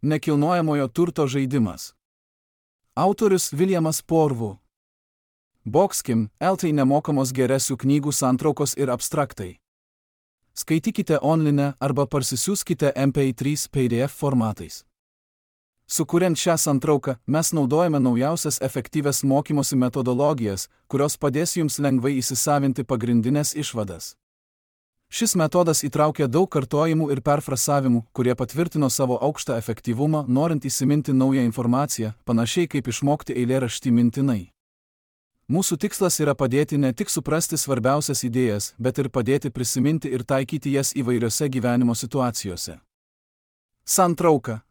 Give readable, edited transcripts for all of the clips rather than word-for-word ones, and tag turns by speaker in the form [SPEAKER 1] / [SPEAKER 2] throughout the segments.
[SPEAKER 1] Nekilnojamojo turto žaidimas. Autorius Viljamas Porvu. Boxkim, LT nemokamos geresių knygų santraukos ir abstraktai. Skaitykite online arba parsisiųskite MP3 PDF formatais. Sukuriant šią santrauką, mes naudojame naujausias efektyvias mokymosi metodologijas, kurios padės jums lengvai įsisavinti pagrindinės išvadas. Šis metodas įtraukia daug kartojimų ir perfrasavimų, kurie patvirtino savo aukštą efektyvumą, norint įsiminti naują informaciją, panašiai kaip išmokti eilėraštį mintinai. Mūsų tikslas yra padėti ne tik suprasti svarbiausias idėjas, bet ir padėti prisiminti ir taikyti jas įvairiose gyvenimo situacijose. Santrauka.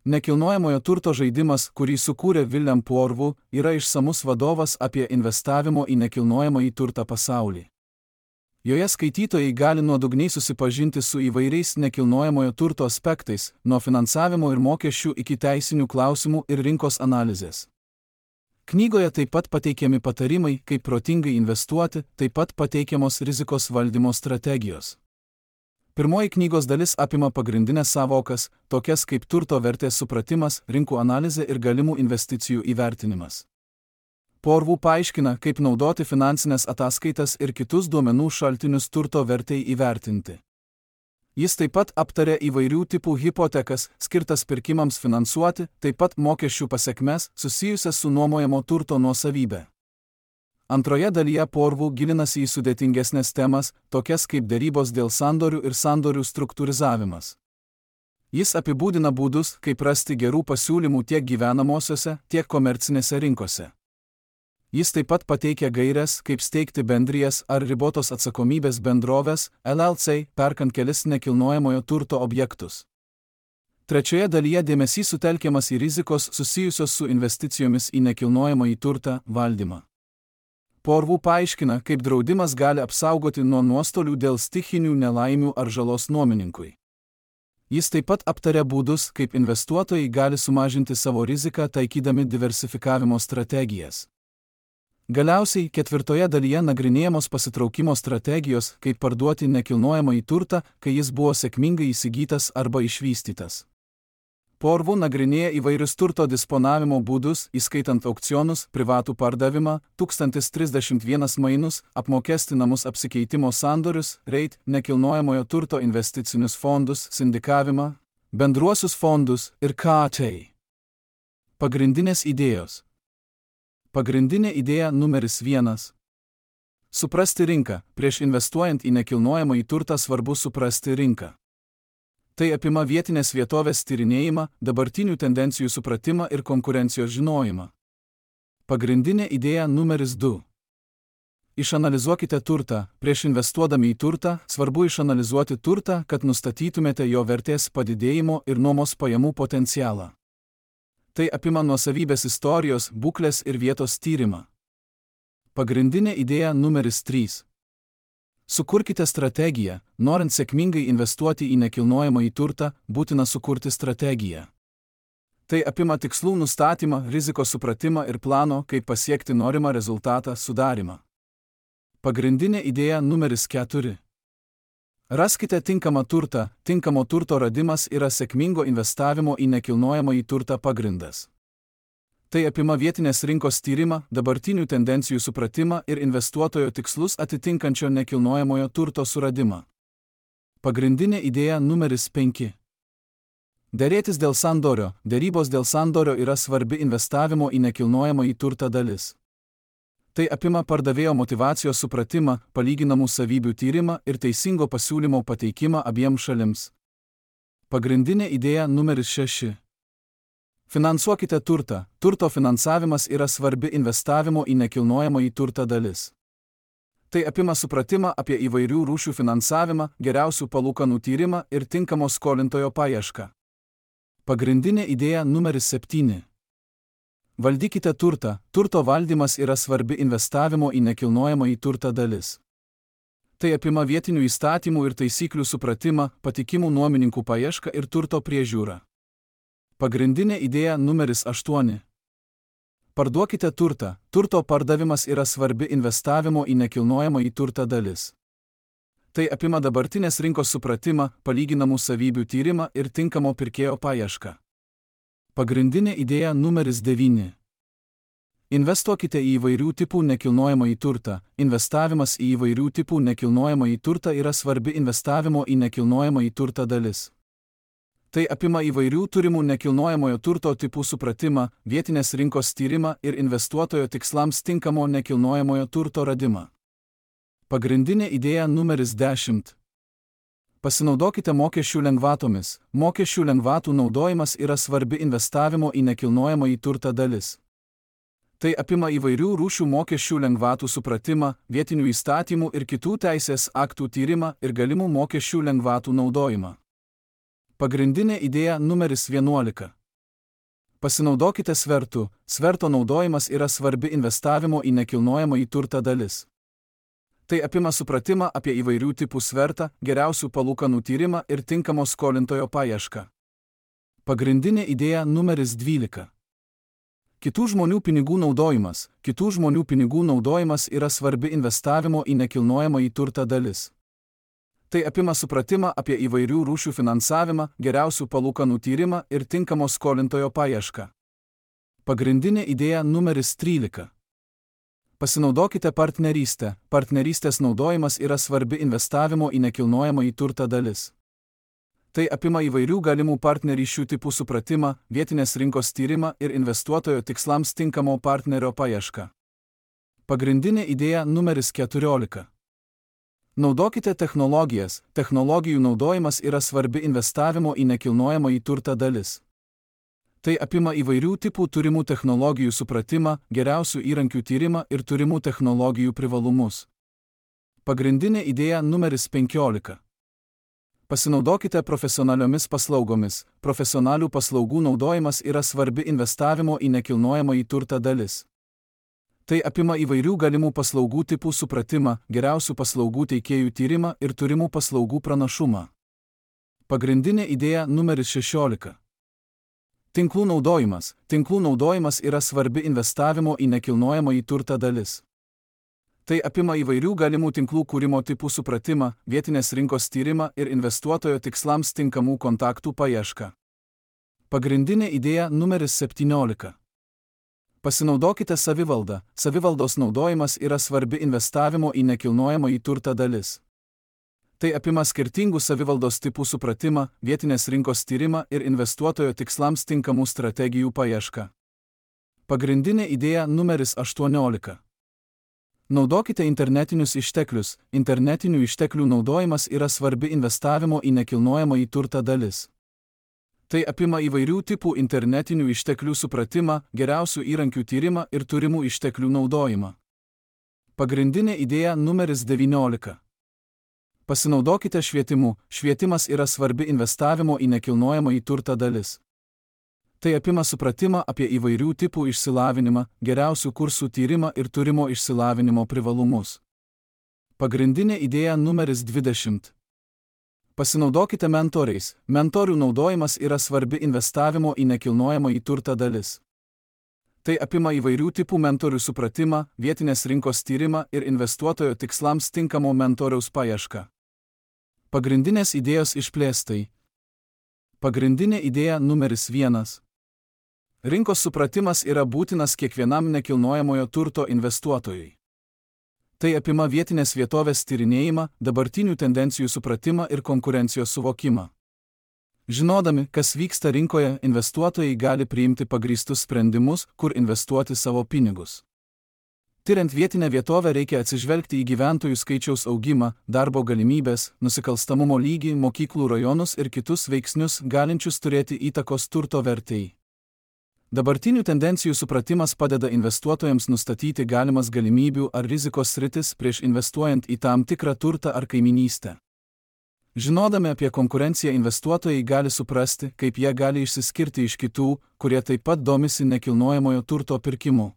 [SPEAKER 1] Nekilnojamojo turto žaidimas, kurį sukūrė William Porvu, yra išsamus vadovas apie investavimo į nekilnojamąjį turtą pasaulį. Joje skaitytojai gali nuodugniai susipažinti su įvairiais nekilnojamojo turto aspektais, nuo finansavimo ir mokesčių iki teisinių klausimų ir rinkos analizės. Knygoje taip pat pateikiami patarimai, kaip protingai investuoti, taip pat pateikiamos rizikos valdymo strategijos. Pirmoji knygos dalis apima pagrindinės savokas, tokias kaip turto vertės supratimas, rinkų analizė ir galimų investicijų įvertinimas. Porvu paaiškina, kaip naudoti finansinės ataskaitas ir kitus duomenų šaltinius turto vertei įvertinti. Jis taip pat aptarė įvairių tipų hipotekas, skirtas pirkimams finansuoti, taip pat mokesčių pasekmes, susijusias su nuomojamo turto nuosavybė. Antroje dalyje Porvu gilinasi į sudėtingesnės temas, tokias kaip derybos dėl sandorių ir sandorių struktūrizavimas. Jis apibūdina būdus, kaip rasti gerų pasiūlymų tiek gyvenamosiose, tiek komercinėse rinkose. Jis taip pat pateikia gaires, kaip steigti bendrijas ar ribotos atsakomybės bendroves, LLC, perkant kelis nekilnojamojo turto objektus. Trečioje dalyje dėmesys sutelkiamas į rizikos susijusios su investicijomis į nekilnojamąjį turtą valdymą. Porvu paaiškina, kaip draudimas gali apsaugoti nuo nuostolių dėl stichinių nelaimių ar žalos nuomininkui. Jis taip pat aptaria būdus, kaip investuotojai gali sumažinti savo riziką taikydami diversifikavimo strategijas. Galiausiai, ketvirtoje dalyje nagrinėjamos pasitraukimo strategijos, kaip parduoti nekilnojamąjį turtą, kai jis buvo sėkmingai įsigytas arba išvystytas. Porvu nagrinėja įvairius turto disponavimo būdus, įskaitant aukcionus, privatų pardavimą, 1031 mainus, apmokestinamus apsikeitimo sandorius, REIT, nekilnojamojo turto investicinius fondus, sindikavimą, bendruosius fondus ir KT. Pagrindinės idėjos. Pagrindinė idėja numeris 1. Suprasti rinką. Prieš investuojant į nekilnojamąjį turtą svarbu suprasti rinką. Tai apima vietinės vietovės tyrinėjimą, dabartinių tendencijų supratimą ir konkurencijos žinojimą. Pagrindinė idėja numeris 2. Išanalizuokite turtą. Prieš investuodami į turtą, svarbu išanalizuoti turtą, kad nustatytumėte jo vertės padidėjimo ir nuomos pajamų potencialą. Tai apima nuosavybės istorijos, būklės ir vietos tyrimą. Pagrindinė idėja numeris 3. Sukurkite strategiją. Norint sėkmingai investuoti į nekilnojamąjį turtą, būtina sukurti strategiją. Tai apima tikslų nustatymą, rizikos supratimą ir plano, kaip pasiekti norimą rezultatą sudarymą. Pagrindinė idėja numeris 4. Raskite tinkamą turtą. Tinkamo turto radimas yra sėkmingo investavimo į nekilnojamąjį turtą pagrindas. Tai apima vietinės rinkos tyrimą, dabartinių tendencijų supratimą ir investuotojo tikslus atitinkančio nekilnojamojo turto suradimą. Pagrindinė idėja numeris 5. Derėtis dėl sandorio. Derybos dėl sandorio yra svarbi investavimo į nekilnojamąjį turtą dalis. Tai apima pardavėjo motyvacijos supratimą, palyginamų savybių tyrimą ir teisingo pasiūlymo pateikimą abiems šalims. Pagrindinė idėja numeris 6. Finansuokite turtą. Turto finansavimas yra svarbi investavimo į nekilnojamąjį turtą dalis. Tai apima supratimą apie įvairių rūšių finansavimą, geriausių palūkanų tyrimą ir tinkamo skolintojo paiešką. Pagrindinė idėja numeris 7. Valdykite turtą. Turto valdymas yra svarbi investavimo į nekilnojamąjį turtą dalis. Tai apima vietinių įstatymų ir taisyklių supratimą, patikimų nuomininkų paiešką ir turto priežiūrą. Pagrindinė idėja numeris 8. Parduokite turtą. Turto pardavimas yra svarbi investavimo į nekilnojamąjį turtą dalis. Tai apima dabartinės rinkos supratimą, palyginamų savybių tyrimą ir tinkamo pirkėjo paiešką. Pagrindinė idėja numeris 9. Investuokite į įvairių tipų nekilnojamąjį turtą. Investavimas į įvairių tipų nekilnojamąjį turtą yra svarbi investavimo į nekilnojamąjį turtą dalis. Tai apima įvairių turimų nekilnojamojo turto tipų supratimą, vietinės rinkos tyrimą ir investuotojo tikslams tinkamo nekilnojamojo turto radimą. Pagrindinė idėja numeris 10. Pasinaudokite mokesčių lengvatomis. Mokesčių lengvatų naudojimas yra svarbi investavimo į nekilnojamąjį turtą dalis. Tai apima įvairių rūšių mokesčių lengvatų supratimą, vietinių įstatymų ir kitų teisės aktų tyrimą ir galimų mokesčių lengvatų naudojimą. Pagrindinė idėja numeris 11. Pasinaudokite svertu. Sverto naudojimas yra svarbi investavimo į nekilnojamąjį turtą dalis. Tai apima supratimą apie įvairių tipų svertą, geriausių palūkanų tyrimą ir tinkamo skolintojo paiešką. Pagrindinė idėja numeris 12. Kitų žmonių pinigų naudojimas. Kitų žmonių pinigų naudojimas yra svarbi investavimo į nekilnojamąjį turtą dalis. Tai apima supratimą apie įvairių rūšių finansavimą, geriausių palūkanų tyrimą ir tinkamo skolintojo paiešką. Pagrindinė idėja numeris 13. Pasinaudokite partnerystę. Partnerystės naudojimas yra svarbi investavimo į nekilnojamąjį turtą dalis. Tai apima įvairių galimų partnerysčių tipų supratimą, vietinės rinkos tyrimą ir investuotojo tikslams tinkamo partnerio paiešką. Pagrindinė idėja numeris 14. Naudokite technologijas. Technologijų naudojimas yra svarbi investavimo į nekilnojamąjį turtą dalis. Tai apima įvairių tipų turimų technologijų supratimą, geriausių įrankių tyrimą ir turimų technologijų privalumus. Pagrindinė idėja numeris 15. Pasinaudokite profesionaliomis paslaugomis. Profesionalių paslaugų naudojimas yra svarbi investavimo į nekilnojamąjį turtą dalis. Tai apima įvairių galimų paslaugų tipų supratimą, geriausių paslaugų teikėjų tyrimą ir turimų paslaugų pranašumą. Pagrindinė idėja numeris 16. Tinklų naudojimas. Tinklų naudojimas yra svarbi investavimo į nekilnojamąjį turtą dalis. Tai apima įvairių galimų tinklų kūrimo tipų supratimą, vietinės rinkos tyrimą ir investuotojo tikslams tinkamų kontaktų paiešką. Pagrindinė idėja numeris 17. Pasinaudokite savivaldą. Savivaldos naudojimas yra svarbi investavimo į nekilnojamąjį turtą dalis. Tai apima skirtingų savivaldos tipų supratimą, vietinės rinkos tyrimą ir investuotojo tikslams tinkamų strategijų paiešką. Pagrindinė idėja numeris 18. Naudokite internetinius išteklius. Internetinių išteklių naudojimas yra svarbi investavimo į nekilnojamąjį turtą dalis. Tai apima įvairių tipų internetinių išteklių supratimą, geriausių įrankių tyrimą ir turimų išteklių naudojimą. Pagrindinė idėja numeris 19. Pasinaudokite švietimu. Švietimas yra svarbi investavimo į nekilnojamąjį turtą dalis. Tai apima supratimą apie įvairių tipų išsilavinimą, geriausių kursų tyrimą ir turimo išsilavinimo privalumus. Pagrindinė idėja numeris 20. Pasinaudokite mentoriais. Mentorių naudojimas yra svarbi investavimo į nekilnojamąjį turtą dalis. Tai apima įvairių tipų mentorių supratimą, vietinės rinkos tyrimą ir investuotojo tikslams tinkamo mentoriaus paiešką. Pagrindinės idėjos išplėstai. Pagrindinė idėja numeris 1. Rinkos supratimas yra būtinas kiekvienam nekilnojamojo turto investuotojui. Tai apima vietinės vietovės tyrinėjimą, dabartinių tendencijų supratimą ir konkurencijos suvokimą. Žinodami, kas vyksta rinkoje, investuotojai gali priimti pagrįstus sprendimus, kur investuoti savo pinigus. Tiriant vietinę vietovę reikia atsižvelgti į gyventojų skaičiaus augimą, darbo galimybės, nusikalstamumo lygį, mokyklų rajonus ir kitus veiksnius, galinčius turėti įtakos turto vertei. Dabartinių tendencijų supratimas padeda investuotojams nustatyti galimas galimybių ar rizikos sritis prieš investuojant į tam tikrą turtą ar kaiminystę. Žinodami apie konkurenciją, investuotojai gali suprasti, kaip jie gali išsiskirti iš kitų, kurie taip pat domisi nekilnojamojo turto pirkimu.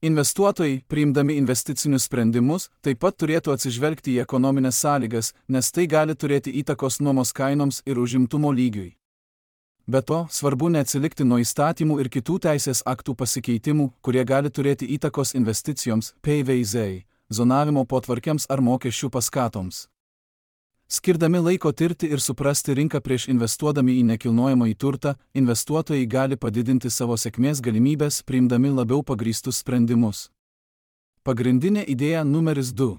[SPEAKER 1] Investuotojai, priimdami investicinius sprendimus, taip pat turėtų atsižvelgti į ekonominės sąlygas, nes tai gali turėti įtakos nuomos kainoms ir užimtumo lygiui. Be to, svarbu neatsilikti nuo įstatymų ir kitų teisės aktų pasikeitimų, kurie gali turėti įtakos investicijoms, PVZ, zonavimo potvarkiams ar mokesčių paskatoms. Skirdami laiko tirti ir suprasti rinką prieš investuodami į nekilnojamąjį turtą, investuotojai gali padidinti savo sėkmės galimybės, priimdami labiau pagrįstus sprendimus. Pagrindinė idėja numeris 2.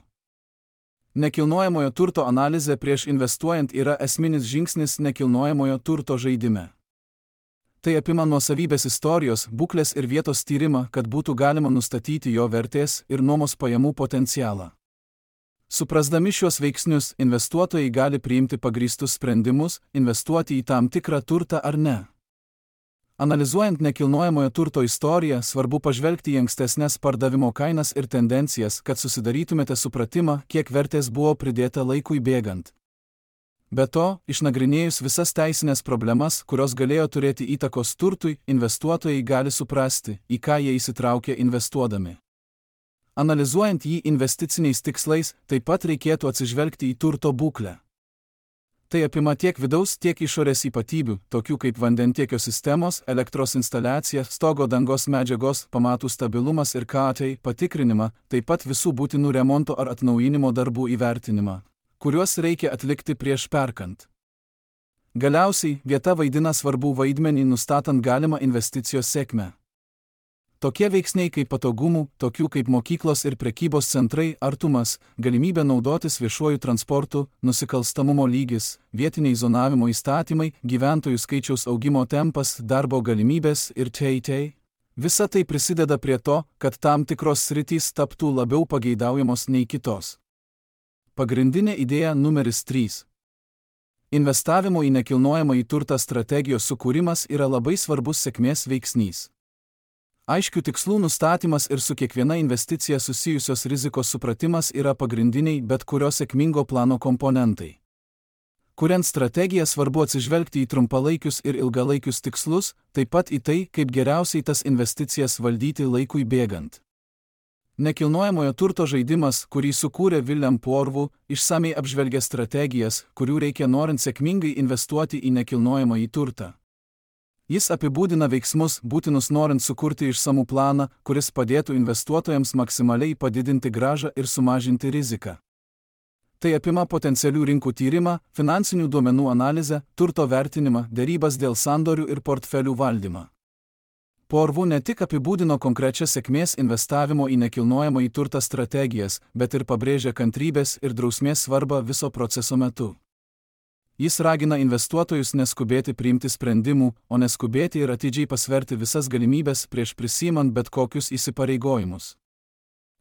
[SPEAKER 1] Nekilnojamojo turto analizė prieš investuojant yra esminis žingsnis nekilnojamojo turto žaidime. Tai apima nuosavybės istorijos, būklės ir vietos tyrimą, kad būtų galima nustatyti jo vertės ir nuomos pajamų potencialą. Suprasdami šios veiksnius, investuotojai gali priimti pagrįstus sprendimus, investuoti į tam tikrą turtą ar ne. Analizuojant nekilnojamojo turto istoriją, svarbu pažvelgti į ankstesnes pardavimo kainas ir tendencijas, kad susidarytumėte supratimą, kiek vertės buvo pridėta laikui bėgant. Be to, išnagrinėjus visas teisinės problemas, kurios galėjo turėti įtakos turtui, investuotojai gali suprasti, į ką jie įsitraukė investuodami. Analizuojant jį investiciniais tikslais, taip pat reikėtų atsižvelgti į turto būklę. Tai apima tiek vidaus, tiek išorės ypatybių, tokių kaip vandentiekio sistemos, elektros instaliacija, stogo dangos medžiagos, pamatų stabilumas ir KATI patikrinimą, taip pat visų būtinų remonto ar atnaujinimo darbų įvertinimą, kuriuos reikia atlikti prieš perkant. Galiausiai, vieta vaidina svarbų vaidmenį nustatant galimą investicijos sėkmę. Tokie veiksniai kaip patogumų, tokių kaip mokyklos ir prekybos centrai, artumas, galimybė naudotis viešuoju transportu, nusikalstamumo lygis, vietiniai zonavimo įstatymai, gyventojų skaičiaus augimo tempas, darbo galimybės ir t.t. Visa tai prisideda prie to, kad tam tikros sritys taptų labiau pageidaujamos nei kitos. Pagrindinė idėja numeris 3. Investavimo į nekilnojamąjį turtą strategijos sukūrimas yra labai svarbus sėkmės veiksnys. Aiškių tikslų nustatymas ir su kiekviena investicija susijusios rizikos supratimas yra pagrindiniai bet kurio sėkmingo plano komponentai. Kuriant strategiją svarbu atsižvelgti į trumpalaikius ir ilgalaikius tikslus, taip pat į tai, kaip geriausiai tas investicijas valdyti laikui bėgant. Nekilnojamojo turto žaidimas, kurį sukūrė William Poorvu, išsamiai apžvelgia strategijas, kurių reikia norint sėkmingai investuoti į nekilnojamąjį turtą. Jis apibūdina veiksmus, būtinus norint sukurti išsamų planą, kuris padėtų investuotojams maksimaliai padidinti grąžą ir sumažinti riziką. Tai apima potencialių rinkų tyrimą, finansinių duomenų analizę, turto vertinimą, derybas dėl sandorių ir portfelių valdymą. Poorvu ne tik apibūdino konkrečias sėkmės investavimo į nekilnojamąjį turtą strategijas, bet ir pabrėžė kantrybės ir drausmės svarbą viso proceso metu. Jis ragina investuotojus neskubėti priimti sprendimų, o neskubėti ir atidžiai pasverti visas galimybės prieš prisiimant bet kokius įsipareigojimus.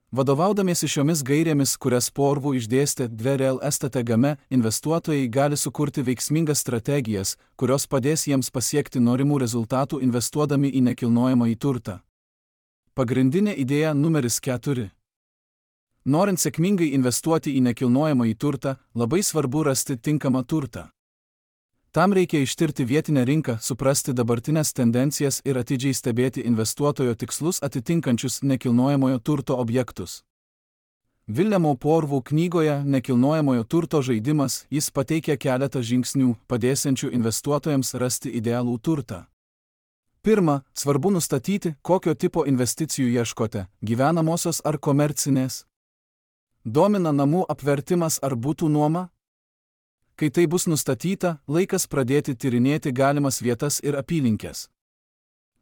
[SPEAKER 1] Vadovaudamiesi šiomis gairėmis, kurias Poorvu išdėstė Dverel STTGame, investuotojai gali sukurti veiksmingas strategijas, kurios padės jiems pasiekti norimų rezultatų investuodami į nekilnojamąjį turtą. Pagrindinė idėja numeris 4. Norint sėkmingai investuoti į nekilnojamąjį turtą, labai svarbu rasti tinkamą turtą. Tam reikia ištirti vietinę rinką, suprasti dabartinės tendencijas ir atidžiai stebėti investuotojo tikslus atitinkančius nekilnojamojo turto objektus. Williamo Poorvu knygoje Nekilnojamojo turto žaidimas jis pateikia keletą žingsnių, padėsiančių investuotojams rasti idealų turtą. Pirma, svarbu nustatyti, kokio tipo investicijų ieškote – gyvenamosios ar komercinės. Domina namų apvertimas ar butų nuoma? Kai tai bus nustatyta, laikas pradėti tyrinėti galimas vietas ir apylinkes.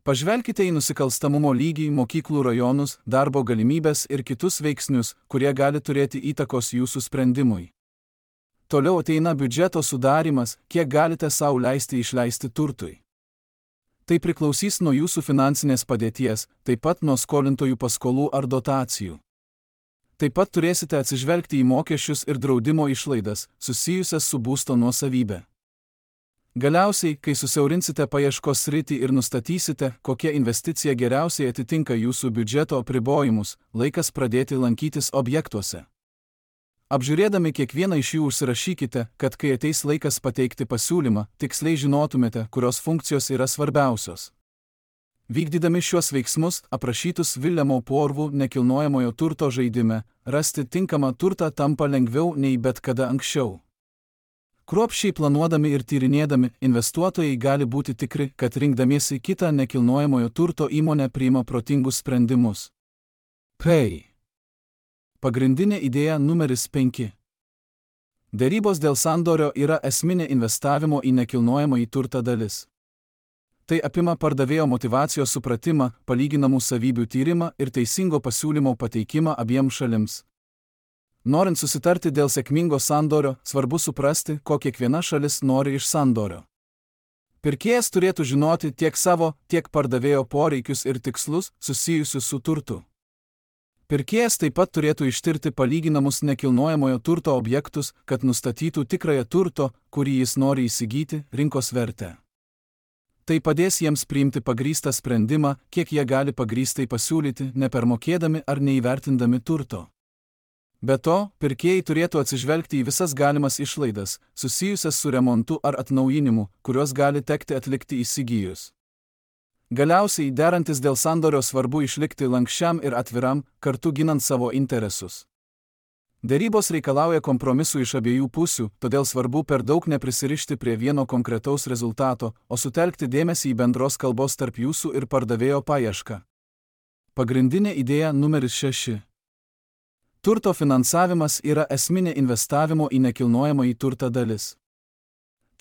[SPEAKER 1] Pažvelkite į nusikalstamumo lygį, mokyklų rajonus, darbo galimybės ir kitus veiksnius, kurie gali turėti įtakos jūsų sprendimui. Toliau ateina biudžeto sudarimas, kiek galite sau leisti išleisti turtui. Tai priklausys nuo jūsų finansinės padėties, taip pat nuo skolintojų paskolų ar dotacijų. Taip pat turėsite atsižvelgti į mokesčius ir draudimo išlaidas, susijusias su būsto nuosavybė. Galiausiai, kai susiaurinsite paieškos sritį ir nustatysite, kokia investicija geriausiai atitinka jūsų biudžeto apribojimus, laikas pradėti lankytis objektuose. Apžiūrėdami kiekvieną iš jų užsirašykite, kad kai ateis laikas pateikti pasiūlymą, tiksliai žinotumėte, kurios funkcijos yra svarbiausios. Vykdydami šiuos veiksmus, aprašytus Williamo Poorvu nekilnojamojo turto žaidime, rasti tinkamą turtą tampa lengviau nei bet kada anksčiau. Kruopščiai planuodami ir tyrinėdami, investuotojai gali būti tikri, kad rinkdamiesi kitą nekilnojamojo turto įmonę priima protingus sprendimus. Pagrindinė idėja numeris 5. Derybos dėl sandorio yra esminė investavimo į nekilnojamąjį turtą dalis. Tai apima pardavėjo motyvacijos supratimą, palyginamų savybių tyrimą ir teisingo pasiūlymo pateikimą abiems šalims. Norint susitarti dėl sėkmingo sandorio, svarbu suprasti, ko kiekviena šalis nori iš sandorio. Pirkėjas turėtų žinoti tiek savo, tiek pardavėjo poreikius ir tikslus susijusius su turtu. Pirkėjas taip pat turėtų ištirti palyginamus nekilnojamojo turto objektus, kad nustatytų tikrąją turto, kurį jis nori įsigyti, rinkos vertę. Tai padės jiems priimti pagrįstą sprendimą, kiek jie gali pagrįstai pasiūlyti, nepermokėdami ar neįvertindami turto. Be to, pirkėjai turėtų atsižvelgti į visas galimas išlaidas, susijusias su remontu ar atnaujinimu, kuriuos gali tekti atlikti įsigijus. Galiausiai, derantis dėl sandorio, svarbu išlikti lanksčiam ir atviram, kartu ginant savo interesus. Derybos reikalauja kompromisų iš abiejų pusių, todėl svarbu per daug neprisirišti prie vieno konkretaus rezultato, o sutelkti dėmesį į bendros kalbos tarp jūsų ir pardavėjo paiešką. Pagrindinė idėja numeris 6. Turto finansavimas yra esminė investavimo į nekilnojamąjį turtą dalis.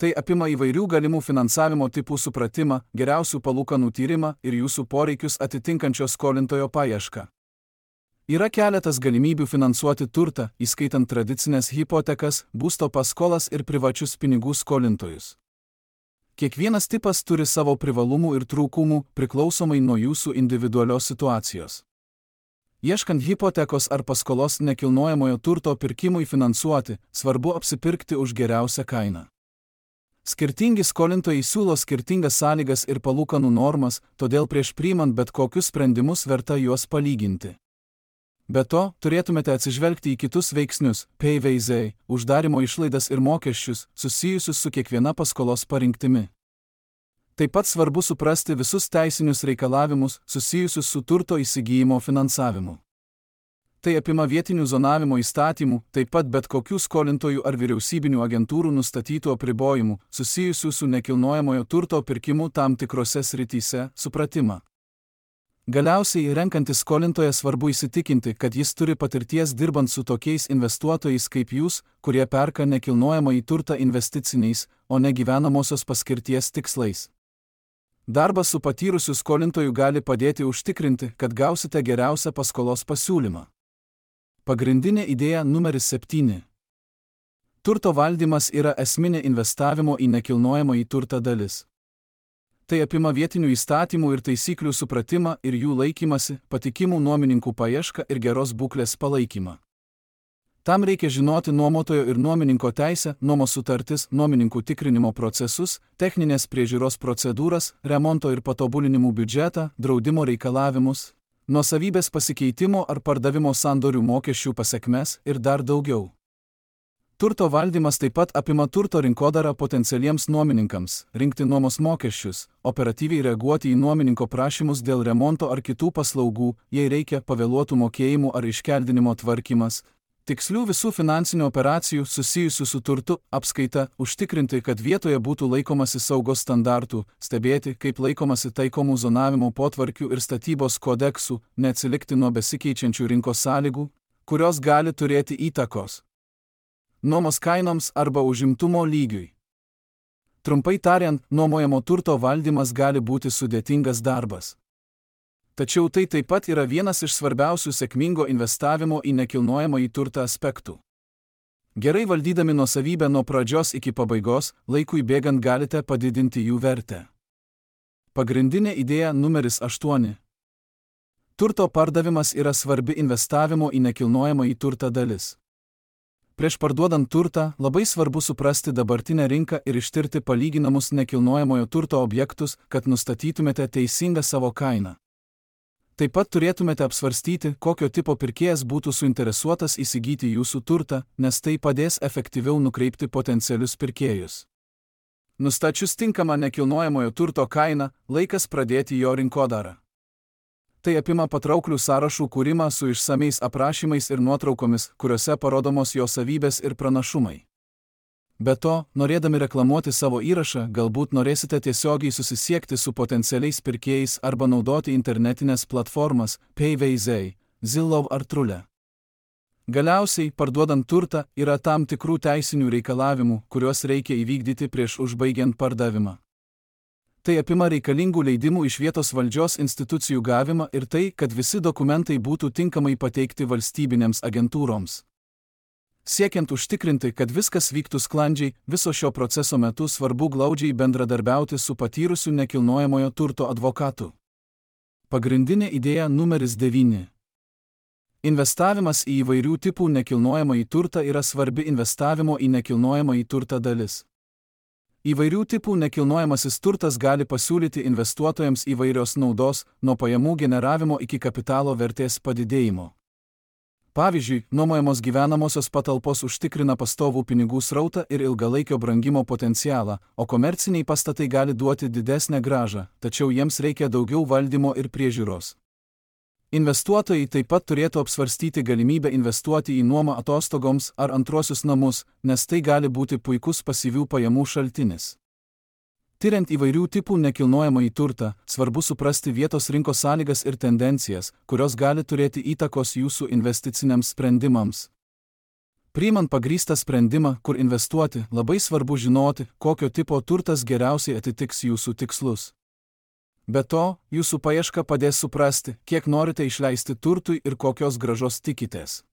[SPEAKER 1] Tai apima įvairių galimų finansavimo tipų supratimą, geriausių palūkanų tyrimą ir jūsų poreikius atitinkančio skolintojo paiešką. Yra keletas galimybių finansuoti turtą, įskaitant tradicinės hipotekas, būsto paskolas ir privačius pinigų skolintojus. Kiekvienas tipas turi savo privalumų ir trūkumų, priklausomai nuo jūsų individualios situacijos. Ieškant hipotekos ar paskolos nekilnojamojo turto pirkimui finansuoti, svarbu apsipirkti už geriausią kainą. Skirtingi skolintojai siūlo skirtingas sąlygas ir palūkanų normas, todėl prieš priimant bet kokius sprendimus verta juos palyginti. Be to, turėtumėte atsižvelgti į kitus veiksnius, PVZ, uždarimo išlaidas ir mokesčius, susijusius su kiekviena paskolos parinktimi. Taip pat svarbu suprasti visus teisinius reikalavimus, susijusius su turto įsigijimo finansavimu. Tai apima vietinių zonavimo įstatymų, taip pat bet kokių skolintojų ar vyriausybinių agentūrų nustatytų apribojimų, susijusių su nekilnojamojo turto pirkimu tam tikrose srityse, supratimą. Galiausiai, renkantis skolintoją, svarbu įsitikinti, kad jis turi patirties dirbant su tokiais investuotojais kaip jūs, kurie perka nekilnojamąjį turtą investiciniais, o ne gyvenamosios paskirties tikslais. Darbas su patyrusiu skolintoju gali padėti užtikrinti, kad gausite geriausią paskolos pasiūlymą. Pagrindinė idėja numeris 7. Turto valdymas yra esminė investavimo į nekilnojamąjį turtą dalis. Tai apima vietinių įstatymų ir taisyklių supratimą ir jų laikymasi, patikimų nuomininkų paiešką ir geros būklės palaikymą. Tam reikia žinoti nuomotojo ir nuomininko teisę, nuomos sutartis, nuomininkų tikrinimo procesus, techninės priežiūros procedūras, remonto ir patobulinimų biudžetą, draudimo reikalavimus, nuosavybės pasikeitimo ar pardavimo sandorių mokesčių pasekmes ir dar daugiau. Turto valdymas taip pat apima turto rinkodarą potencialiems nuomininkams, rinkti nuomos mokesčius, operatyviai reaguoti į nuomininko prašymus dėl remonto ar kitų paslaugų, jei reikia pavėluotų mokėjimų ar iškeldinimo tvarkymas, tikslių visų finansinių operacijų susijusių su turtu, apskaita, užtikrinti, kad vietoje būtų laikomasi saugos standartų, stebėti, kaip laikomasi taikomų zonavimo potvarkių ir statybos kodeksų, neatsilikti nuo besikeičiančių rinkos sąlygų, kurios gali turėti įtakos nuomos kainoms arba užimtumo lygiui. Trumpai tariant, nuomojamo turto valdymas gali būti sudėtingas darbas. Tačiau tai taip pat yra vienas iš svarbiausių sėkmingo investavimo į nekilnojamąjį turtą aspektų. Gerai valdydami nuosavybę nuo pradžios iki pabaigos, laikui bėgant galite padidinti jų vertę. Pagrindinė idėja numeris 8. Turto pardavimas yra svarbi investavimo į nekilnojamąjį turtą dalis. Prieš parduodant turtą, labai svarbu suprasti dabartinę rinką ir ištirti palyginamus nekilnojamojo turto objektus, kad nustatytumėte teisingą savo kainą. Taip pat turėtumėte apsvarstyti, kokio tipo pirkėjas būtų suinteresuotas įsigyti jūsų turtą, nes tai padės efektyviau nukreipti potencialius pirkėjus. Nustačius tinkamą nekilnojamojo turto kainą, laikas pradėti jo rinkodarą. Tai apima patrauklių sąrašų kūrimą su išsamiais aprašymais ir nuotraukomis, kuriuose parodomos jo savybės ir pranašumai. Be to, norėdami reklamuoti savo įrašą, galbūt norėsite tiesiogiai susisiekti su potencialiais pirkėjais arba naudoti internetinės platformas PVZ, Zillow ar Trulia. Galiausiai, parduodant turtą, yra tam tikrų teisinių reikalavimų, kuriuos reikia įvykdyti prieš užbaigiant pardavimą. Tai apima reikalingų leidimų iš vietos valdžios institucijų gavimą ir tai, kad visi dokumentai būtų tinkamai pateikti valstybinėms agentūroms. Siekiant užtikrinti, kad viskas vyktų sklandžiai, viso šio proceso metu svarbu glaudžiai bendradarbiauti su patyrusiu nekilnojamojo turto advokatu. Pagrindinė idėja numeris 9. Investavimas į įvairių tipų nekilnojamąjį turtą yra svarbi investavimo į nekilnojamąjį turtą dalis. Įvairių tipų nekilnojamasis turtas gali pasiūlyti investuotojams įvairios naudos, nuo pajamų generavimo iki kapitalo vertės padidėjimo. Pavyzdžiui, nuomojamos gyvenamosios patalpos užtikrina pastovų pinigų srautą ir ilgalaikio brangimo potencialą, o komerciniai pastatai gali duoti didesnę grąžą, tačiau jiems reikia daugiau valdymo ir priežiūros. Investuotojai taip pat turėtų apsvarstyti galimybę investuoti į nuomą atostogoms ar antruosius namus, nes tai gali būti puikus pasyvių pajamų šaltinis. Tiriant įvairių tipų nekilnojamąjį turtą, svarbu suprasti vietos rinkos sąlygas ir tendencijas, kurios gali turėti įtakos jūsų investiciniams sprendimams. Priimant pagrįstą sprendimą, kur investuoti, labai svarbu žinoti, kokio tipo turtas geriausiai atitiks jūsų tikslus. Be to, jūsų paieška padės suprasti, kiek norite išleisti turtui ir kokios grąžos tikitės.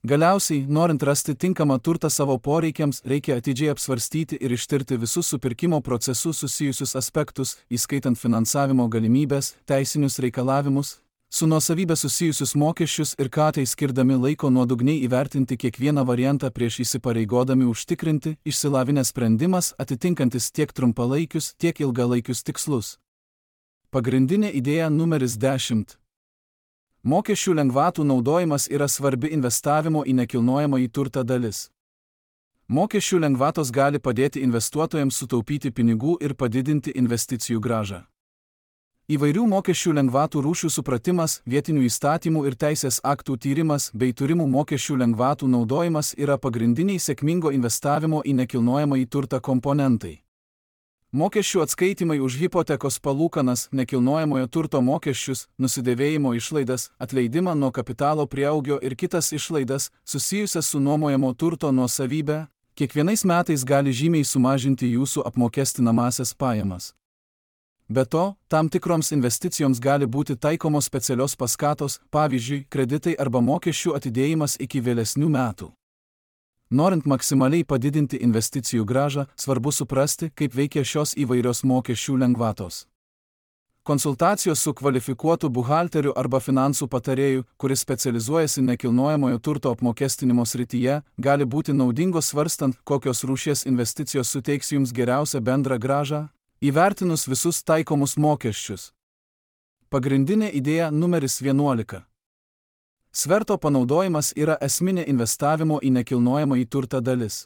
[SPEAKER 1] Galiausiai, norint rasti tinkamą turtą savo poreikiams, reikia atidžiai apsvarstyti ir ištirti visus su pirkimo procesu susijusius aspektus, įskaitant finansavimo galimybės, teisinius reikalavimus, su nuosavybė susijusius mokesčius ir ką tai skirdami laiko nuodugniai įvertinti kiekvieną variantą prieš įsipareigodami užtikrinti išsilavinęs sprendimas atitinkantis tiek trumpalaikius, tiek ilgalaikius tikslus. Pagrindinė idėja numeris 10. Mokesčių lengvatų naudojimas yra svarbi investavimo į nekilnojamąjį turtą dalis. Mokesčių lengvatos gali padėti investuotojams sutaupyti pinigų ir padidinti investicijų grąžą. Įvairių mokesčių lengvatų rūšių supratimas, vietinių įstatymų ir teisės aktų tyrimas bei turimų mokesčių lengvatų naudojimas yra pagrindiniai sėkmingo investavimo į nekilnojamąjį turtą komponentai. Mokesčių atskaitimai už hipotekos palūkanas, nekilnojamojo turto mokesčius, nusidėvėjimo išlaidas, atleidimą nuo kapitalo prieaugio ir kitas išlaidas, susijusias su nuomojamo turto nuosavybė, kiekvienais metais gali žymiai sumažinti jūsų apmokestinamąsias pajamas. Be to, tam tikroms investicijoms gali būti taikomos specialios paskatos, pavyzdžiui, kreditai arba mokesčių atidėjimas iki vėlesnių metų. Norint maksimaliai padidinti investicijų grąžą, svarbu suprasti, kaip veikia šios įvairios mokesčių lengvatos. Konsultacijos su kvalifikuotu buhalteriu arba finansų patarėju, kuris specializuojasi nekilnojamojo turto apmokestinimo srityje, gali būti naudingos svarstant, kokios rūšies investicijos suteiks jums geriausią bendrą grąžą, įvertinus visus taikomus mokesčius. Pagrindinė idėja numeris 11. Sverto panaudojimas yra esminė investavimo į nekilnojamąjį turtą dalis.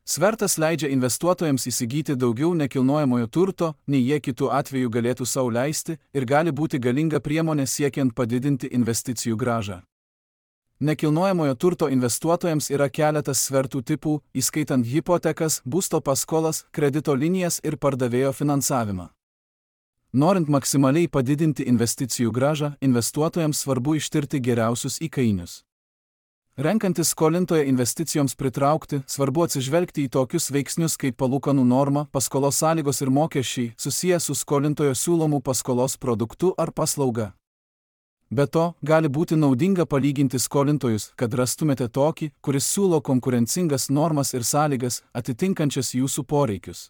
[SPEAKER 1] Svertas leidžia investuotojams įsigyti daugiau nekilnojamojo turto, nei jie kitų atveju galėtų sau leisti, ir gali būti galinga priemonė siekiant padidinti investicijų grąžą. Nekilnojamojo turto investuotojams yra keletas svertų tipų, įskaitant hipotekas, būsto paskolas, kredito linijas ir pardavėjo finansavimą. Norint maksimaliai padidinti investicijų grąžą, investuotojams svarbu ištirti geriausius įkainius. Renkantis skolintoją investicijoms pritraukti, svarbu atsižvelgti į tokius veiksnius kaip palūkanų norma, paskolos sąlygos ir mokesčiai, susiję su skolintojo siūlomų paskolos produktu ar paslauga. Be to, gali būti naudinga palyginti skolintojus, kad rastumėte tokį, kuris siūlo konkurencingas normas ir sąlygas, atitinkančias jūsų poreikius.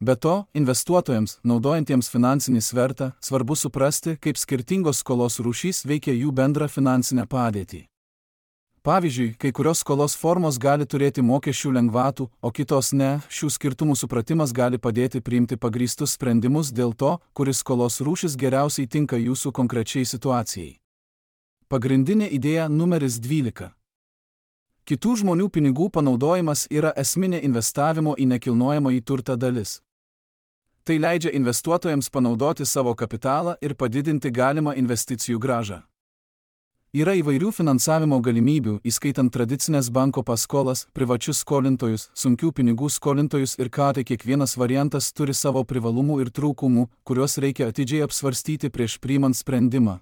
[SPEAKER 1] Be to, investuotojams, naudojantiems finansinį svertą, svarbu suprasti, kaip skirtingos skolos rūšys veikia jų bendrą finansinę padėtį. Pavyzdžiui, kai kurios skolos formos gali turėti mokesčių lengvatų, o kitos ne, šių skirtumų supratimas gali padėti priimti pagrįstus sprendimus dėl to, kuris skolos rūšis geriausiai tinka jūsų konkrečiai situacijai. Pagrindinė idėja numeris 12. Kitų žmonių pinigų panaudojimas yra esminė investavimo į nekilnojamąjį turtą dalis. Tai leidžia investuotojams panaudoti savo kapitalą ir padidinti galimą investicijų grąžą. Yra įvairių finansavimo galimybių, įskaitant tradicinės banko paskolas, privačius skolintojus, sunkių pinigų skolintojus ir tai kiekvienas variantas turi savo privalumų ir trūkumų, kuriuos reikia atidžiai apsvarstyti prieš priimant sprendimą.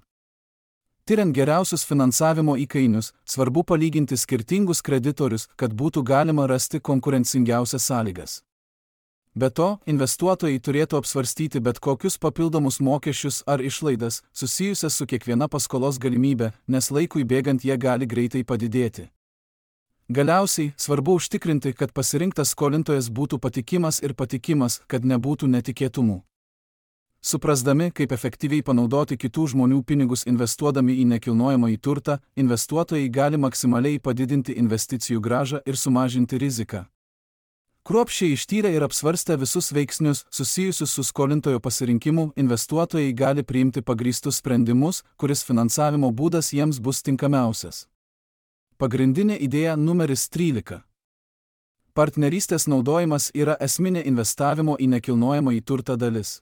[SPEAKER 1] Tiriant geriausius finansavimo įkainius, svarbu palyginti skirtingus kreditorius, kad būtų galima rasti konkurencingiausias sąlygas. Be to, investuotojai turėtų apsvarstyti bet kokius papildomus mokesčius ar išlaidas, susijusias su kiekviena paskolos galimybė, nes laikui bėgant jie gali greitai padidėti. Galiausiai, svarbu užtikrinti, kad pasirinktas skolintojas būtų patikimas, kad nebūtų netikėtumų. Suprasdami, kaip efektyviai panaudoti kitų žmonių pinigus investuodami į nekilnojamąjį turtą, investuotojai gali maksimaliai padidinti investicijų grąžą ir sumažinti riziką. Kruopščiai ištyrę ir apsvarstę visus veiksnius susijusius su skolintojo pasirinkimu, investuotojai gali priimti pagrįstus sprendimus, kuris finansavimo būdas jiems bus tinkamiausias. Pagrindinė idėja numeris 13. Partnerystės naudojimas yra esminė investavimo į nekilnojamąjį turtą dalis.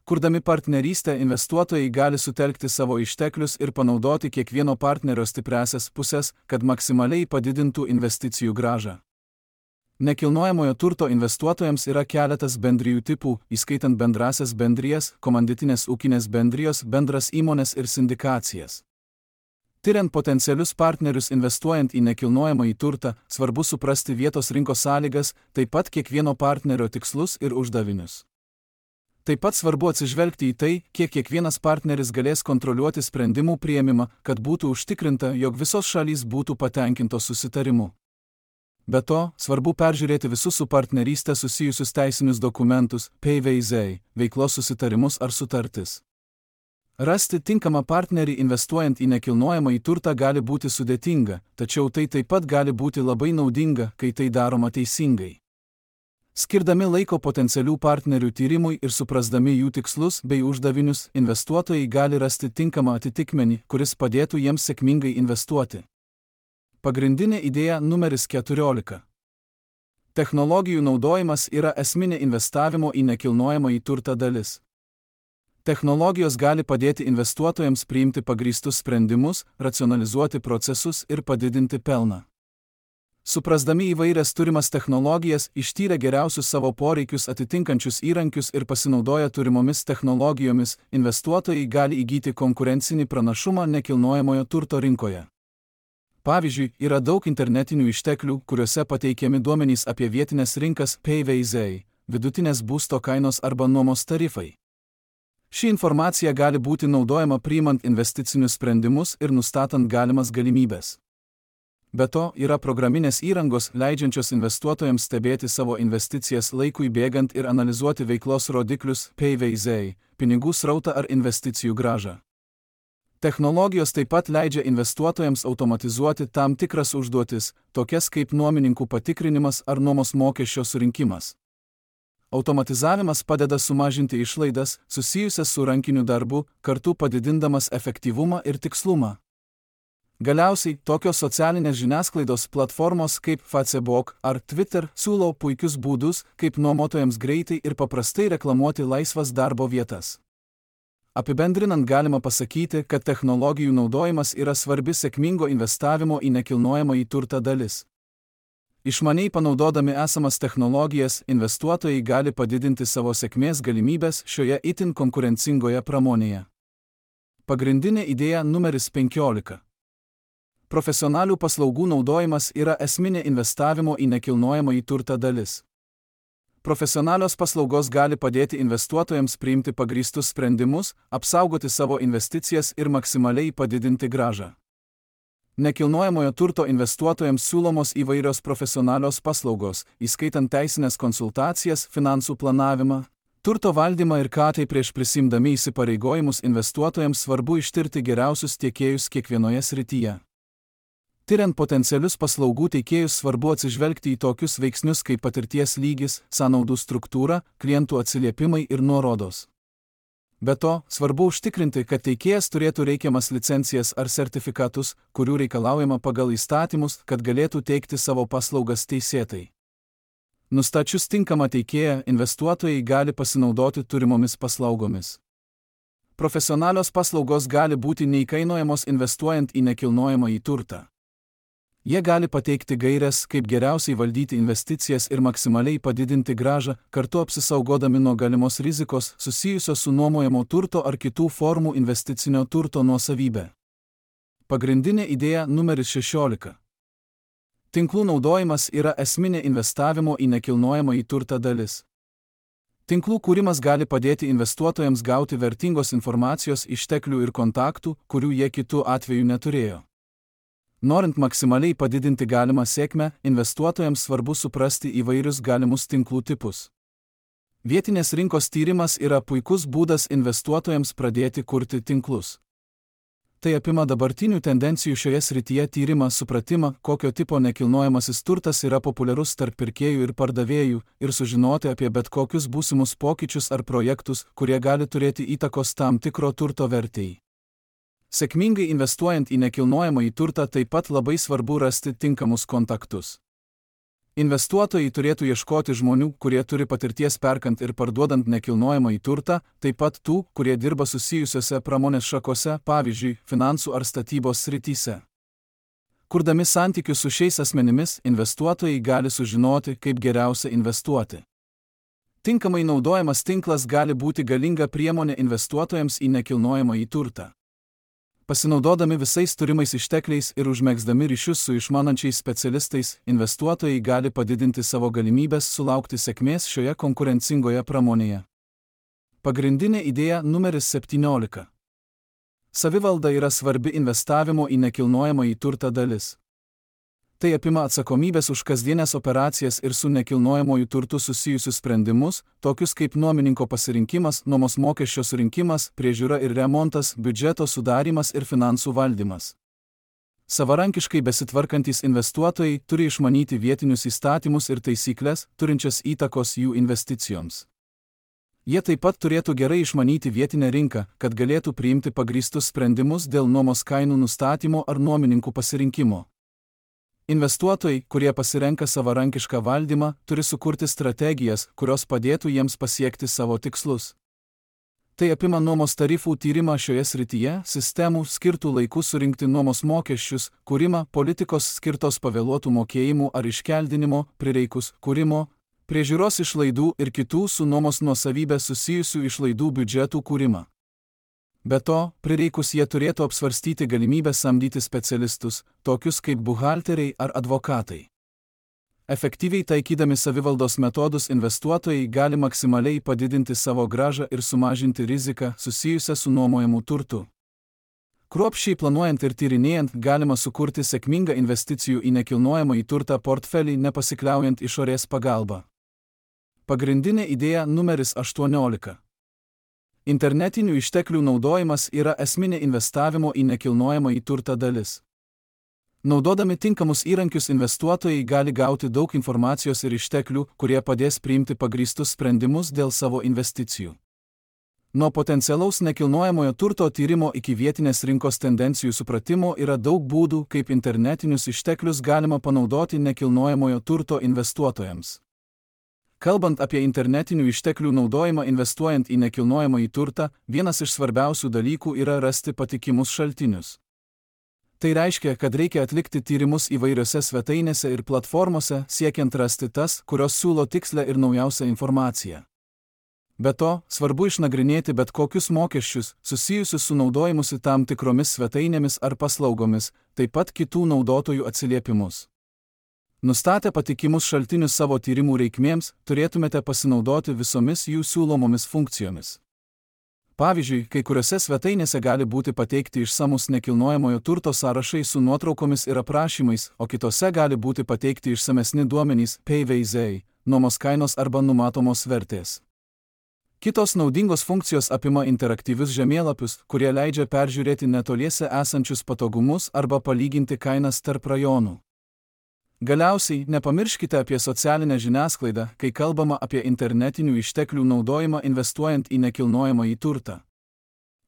[SPEAKER 1] Kurdami partnerystę, investuotojai gali sutelkti savo išteklius ir panaudoti kiekvieno partnerio stipriąsias pusės, kad maksimaliai padidintų investicijų grąžą. Nekilnojamojo turto investuotojams yra keletas bendrijų tipų, įskaitant bendrasias bendrijas, komanditinės ūkinės bendrijos, bendras įmonės ir sindikacijas. Tiriant potencialius partnerius investuojant į nekilnojamąjį turtą, svarbu suprasti vietos rinkos sąlygas, taip pat kiekvieno partnerio tikslus ir uždavinius. Taip pat svarbu atsižvelgti į tai, kiek kiekvienas partneris galės kontroliuoti sprendimų priėmimą, kad būtų užtikrinta, jog visos šalys būtų patenkintos susitarimu. Be to, svarbu peržiūrėti visus su partnerystė susijusius teisinius dokumentus, PVZ, veiklos susitarimus ar sutartis. Rasti tinkamą partnerį investuojant į nekilnojamąjį turtą gali būti sudėtinga, tačiau tai taip pat gali būti labai naudinga, kai tai daroma teisingai. Skirdami laiko potencialių partnerių tyrimui ir suprasdami jų tikslus bei uždavinius, investuotojai gali rasti tinkamą atitikmenį, kuris padėtų jiems sėkmingai investuoti. Pagrindinė idėja numeris 14. Technologijų naudojimas yra esminė investavimo į nekilnojamąjį turtą dalis. Technologijos gali padėti investuotojams priimti pagrįstus sprendimus, racionalizuoti procesus ir padidinti pelną. Suprasdami įvairias turimas technologijas, ištyrę geriausius savo poreikius atitinkančius įrankius ir pasinaudoję turimomis technologijomis, investuotojai gali įgyti konkurencinį pranašumą nekilnojamojo turto rinkoje. Pavyzdžiui, yra daug internetinių išteklių, kuriuose pateikiami duomenys apie vietinės rinkas PVZ, vidutinės būsto kainos arba nuomos tarifai. Ši informacija gali būti naudojama priimant investicinius sprendimus ir nustatant galimas galimybes. Be to, yra programinės įrangos, leidžiančios investuotojams stebėti savo investicijas laikui bėgant ir analizuoti veiklos rodiklius PVZ, pinigų srautą ar investicijų grąžą. Technologijos taip pat leidžia investuotojams automatizuoti tam tikras užduotis, tokias kaip nuomininkų patikrinimas ar nuomos mokesčio surinkimas. Automatizavimas padeda sumažinti išlaidas, susijusias su rankiniu darbu, kartu padidindamas efektyvumą ir tikslumą. Galiausiai, tokios socialinės žiniasklaidos platformos kaip Facebook ar Twitter siūlo puikius būdus, kaip nuomotojams greitai ir paprastai reklamuoti laisvas darbo vietas. Apibendrinant galima pasakyti, kad technologijų naudojimas yra svarbi sėkmingo investavimo į nekilnojamąjį turtą dalis. Išmaniai panaudodami esamas technologijas, investuotojai gali padidinti savo sėkmės galimybės šioje itin konkurencingoje pramonėje. Pagrindinė idėja numeris 15. Profesionalių paslaugų naudojimas yra esminė investavimo į nekilnojamąjį turtą dalis. Profesionalios paslaugos gali padėti investuotojams priimti pagrįstus sprendimus, apsaugoti savo investicijas ir maksimaliai padidinti grąžą. Nekilnojamojo turto investuotojams siūlomos įvairios profesionalios paslaugos, įskaitant teisinės konsultacijas, finansų planavimą, turto valdymą ir tai prieš prisimdami įsipareigojimus investuotojams svarbu ištirti geriausius tiekėjus kiekvienoje srityje. Tiriant potencialius paslaugų teikėjus svarbu atsižvelgti į tokius veiksnius kaip patirties lygis, sąnaudų struktūra, klientų atsiliepimai ir nuorodos. Be to, svarbu užtikrinti, kad teikėjas turėtų reikiamas licencijas ar sertifikatus, kurių reikalaujama pagal įstatymus, kad galėtų teikti savo paslaugas teisėtai. Nustačius tinkamą teikėją, investuotojai gali pasinaudoti turimomis paslaugomis. Profesionalios paslaugos gali būti neįkainojamos investuojant į nekilnojamąjį turtą. Jie gali pateikti gaires, kaip geriausiai valdyti investicijas ir maksimaliai padidinti grąžą, kartu apsisaugodami nuo galimos rizikos susijusios su nuomojamo turto ar kitų formų investicinio turto nuosavybė. Pagrindinė idėja numeris 16. Tinklų naudojimas yra esminė investavimo į nekilnojamąjį turtą dalis. Tinklų kūrimas gali padėti investuotojams gauti vertingos informacijos, išteklių ir kontaktų, kurių jie kitų atveju neturėjo. Norint maksimaliai padidinti galimą sėkmę, investuotojams svarbu suprasti įvairius galimus tinklų tipus. Vietinės rinkos tyrimas yra puikus būdas investuotojams pradėti kurti tinklus. Tai apima dabartinių tendencijų šioje srityje tyrimą, supratimą, kokio tipo nekilnojamasis turtas yra populiarus tarp pirkėjų ir pardavėjų, ir sužinoti apie bet kokius būsimus pokyčius ar projektus, kurie gali turėti įtakos tam tikro turto vertei. Sėkmingai investuojant į nekilnojamąjį turtą taip pat labai svarbu rasti tinkamus kontaktus. Investuotojai turėtų ieškoti žmonių, kurie turi patirties perkant ir parduodant nekilnojamąjį turtą, taip pat tų, kurie dirba susijusiose pramonės šakose, pavyzdžiui, finansų ar statybos srityse. Kurdami santykius su šiais asmenimis, investuotojai gali sužinoti, kaip geriausia investuoti. Tinkamai naudojamas tinklas gali būti galinga priemonė investuotojams į nekilnojamąjį turtą. Pasinaudodami visais turimais ištekliais ir užmegzdami ryšius su išmanančiais specialistais, investuotojai gali padidinti savo galimybės sulaukti sėkmės šioje konkurencingoje pramonėje. Pagrindinė idėja numeris 17. Savivalda yra svarbi investavimo į nekilnojamąjį turtą dalis. Tai apima atsakomybės už kasdienės operacijas ir su nekilnojamuoju turtu susijusius sprendimus, tokius kaip nuomininko pasirinkimas, nuomos mokesčio surinkimas, priežiūra ir remontas, biudžeto sudarymas ir finansų valdymas. Savarankiškai besitvarkantys investuotojai turi išmanyti vietinius įstatymus ir taisyklės, turinčias įtakos jų investicijoms. Jie taip pat turėtų gerai išmanyti vietinę rinką, kad galėtų priimti pagrįstus sprendimus dėl nuomos kainų nustatymo ar nuomininkų pasirinkimo. Investuotojai, kurie pasirenka savarankišką valdymą, turi sukurti strategijas, kurios padėtų jiems pasiekti savo tikslus. Tai apima nuomos tarifų tyrimą šioje srityje, sistemų skirtų laiku surinkti nuomos mokesčius, kūrimą, politikos skirtos pavėluotų mokėjimų ar iškeldinimo, prireikus, kūrimo, priežiūros išlaidų ir kitų su nuomos nuosavybė susijusių išlaidų biudžetų kūrimą. Be to, prireikus jie turėtų apsvarstyti galimybę samdyti specialistus, tokius kaip buhalteriai ar advokatai. Efektyviai taikydami savivaldos metodus investuotojai gali maksimaliai padidinti savo grąžą ir sumažinti riziką susijusią su nuomojamu turtu. Kruopščiai planuojant ir tyrinėjant galima sukurti sėkmingą investicijų į nekilnojamąjį turtą portfelį nepasikliaujant išorės pagalba. Pagrindinė idėja numeris 18. Internetinių išteklių naudojimas yra esminė investavimo į nekilnojamąjį turtą dalis. Naudodami tinkamus įrankius investuotojai gali gauti daug informacijos ir išteklių, kurie padės priimti pagrįstus sprendimus dėl savo investicijų. Nuo potencialaus nekilnojamojo turto tyrimo iki vietinės rinkos tendencijų supratimo yra daug būdų, kaip internetinius išteklius galima panaudoti nekilnojamojo turto investuotojams. Kalbant apie internetinių išteklių naudojimą investuojant į nekilnojamąjį turtą, vienas iš svarbiausių dalykų yra rasti patikimus šaltinius. Tai reiškia, kad reikia atlikti tyrimus įvairiose svetainėse ir platformose, siekiant rasti tas, kurios siūlo tikslę ir naujausią informaciją. Be to, svarbu išnagrinėti bet kokius mokesčius, susijusius su naudojimusi tam tikromis svetainėmis ar paslaugomis, taip pat kitų naudotojų atsiliepimus. Nustatę patikimus šaltinius savo tyrimų reikmėms, turėtumėte pasinaudoti visomis jų siūlomomis funkcijomis. Pavyzdžiui, kai kuriuose svetainėse gali būti pateikti išsamus nekilnojamojo turto sąrašai su nuotraukomis ir aprašymais, o kitose gali būti pateikti išsamesni duomenys, PVZ, nuomos kainos arba numatomos vertės. Kitos naudingos funkcijos apima interaktyvius žemėlapius, kurie leidžia peržiūrėti netoliese esančius patogumus arba palyginti kainas tarp rajonų. Galiausiai, nepamirškite apie socialinę žiniasklaidą, kai kalbama apie internetinių išteklių naudojimą investuojant į nekilnojamąjį turtą.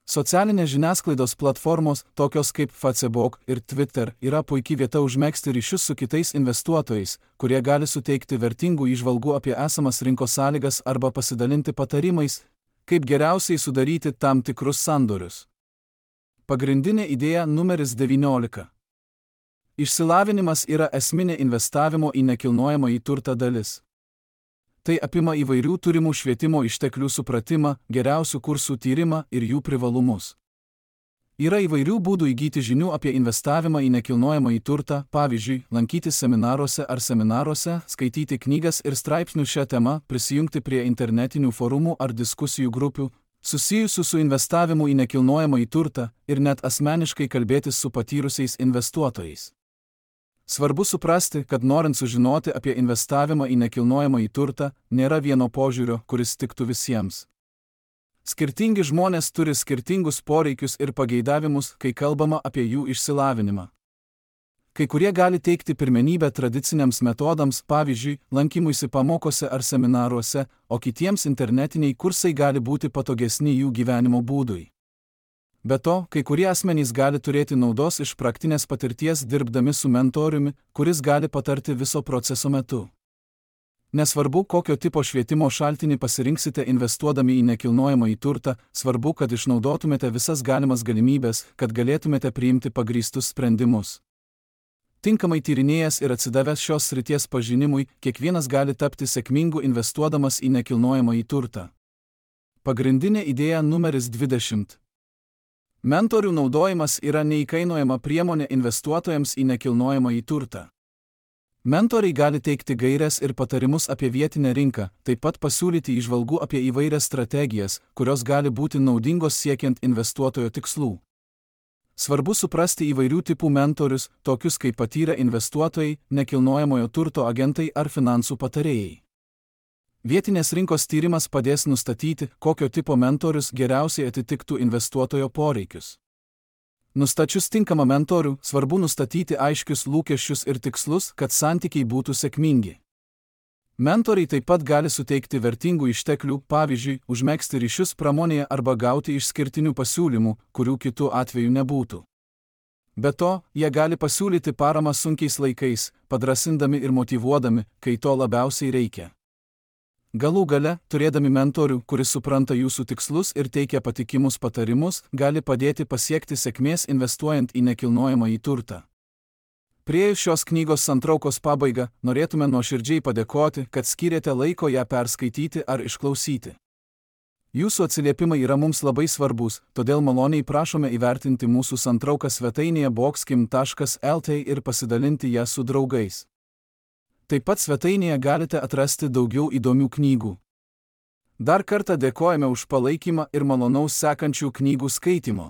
[SPEAKER 1] Socialinės žiniasklaidos platformos, tokios kaip Facebook ir Twitter, yra puikia vieta užmegzti ryšius su kitais investuotojais, kurie gali suteikti vertingų įžvalgų apie esamas rinkos sąlygas arba pasidalinti patarimais, kaip geriausiai sudaryti tam tikrus sandorius. Pagrindinė idėja numeris 19. Išsilavinimas yra esminė investavimo į nekilnojamąjį turtą dalis. Tai apima įvairių turimų švietimo išteklių supratimą, geriausių kursų tyrimą ir jų privalumus. Yra įvairių būdų įgyti žinių apie investavimą į nekilnojamąjį turtą, pavyzdžiui, lankytis seminaruose, skaityti knygas ir straipsnių šią temą, prisijungti prie internetinių forumų ar diskusijų grupių, susijusių su investavimu į nekilnojamąjį turtą ir net asmeniškai kalbėtis su patyrusiais investuotojais. Svarbu suprasti, kad norint sužinoti apie investavimą į nekilnojamąjį turtą, nėra vieno požiūrio, kuris tiktų visiems. Skirtingi žmonės turi skirtingus poreikius ir pageidavimus, kai kalbama apie jų išsilavinimą. Kai kurie gali teikti pirmenybę tradiciniams metodams, pavyzdžiui, lankymuisi pamokose ar seminaruose, o kitiems internetiniai kursai gali būti patogesni jų gyvenimo būdui. Be to, kai kurie asmenys gali turėti naudos iš praktinės patirties dirbdami su mentoriumi, kuris gali patarti viso proceso metu. Nesvarbu, kokio tipo švietimo šaltinį pasirinksite investuodami į nekilnojamąjį turtą, svarbu, kad išnaudotumėte visas galimas galimybės, kad galėtumėte priimti pagrįstus sprendimus. Tinkamai tyrinėjęs ir atsidavęs šios srities pažinimui, kiekvienas gali tapti sėkmingu investuodamas į nekilnojamąjį turtą. Pagrindinė idėja numeris 20. Mentorių naudojimas yra neįkainojama priemonė investuotojams į nekilnojamąjį turtą. Mentoriai gali teikti gaires ir patarimus apie vietinę rinką, taip pat pasiūlyti įžvalgų apie įvairias strategijas, kurios gali būti naudingos siekiant investuotojo tikslų. Svarbu suprasti įvairių tipų mentorius, tokius kaip patyrę investuotojai, nekilnojamojo turto agentai ar finansų patarėjai. Vietinės rinkos tyrimas padės nustatyti, kokio tipo mentorius geriausiai atitiktų investuotojo poreikius. Nustačius tinkamą mentorių, svarbu nustatyti aiškius lūkesčius ir tikslus, kad santykiai būtų sėkmingi. Mentoriai taip pat gali suteikti vertingų išteklių, pavyzdžiui, užmegzti ryšius pramonėje arba gauti išskirtinių pasiūlymų, kurių kitų atveju nebūtų. Be to, jie gali pasiūlyti paramą sunkiais laikais, padrasindami ir motyvuodami, kai to labiausiai reikia. Galų gale, turėdami mentorių, kuris supranta jūsų tikslus ir teikia patikimus patarimus, gali padėti pasiekti sėkmės investuojant į nekilnojamąjį turtą. Priėjus šios knygos santraukos pabaigą, norėtume nuoširdžiai padėkoti, kad skyrėte laiko ją perskaityti ar išklausyti. Jūsų atsiliepimai yra mums labai svarbus, todėl maloniai prašome įvertinti mūsų santrauką svetainėje boxkim.lt ir pasidalinti ją su draugais. Taip pat svetainėje galite atrasti daugiau įdomių knygų. Dar kartą dėkojame už palaikymą ir malonaus sekančių knygų skaitimo.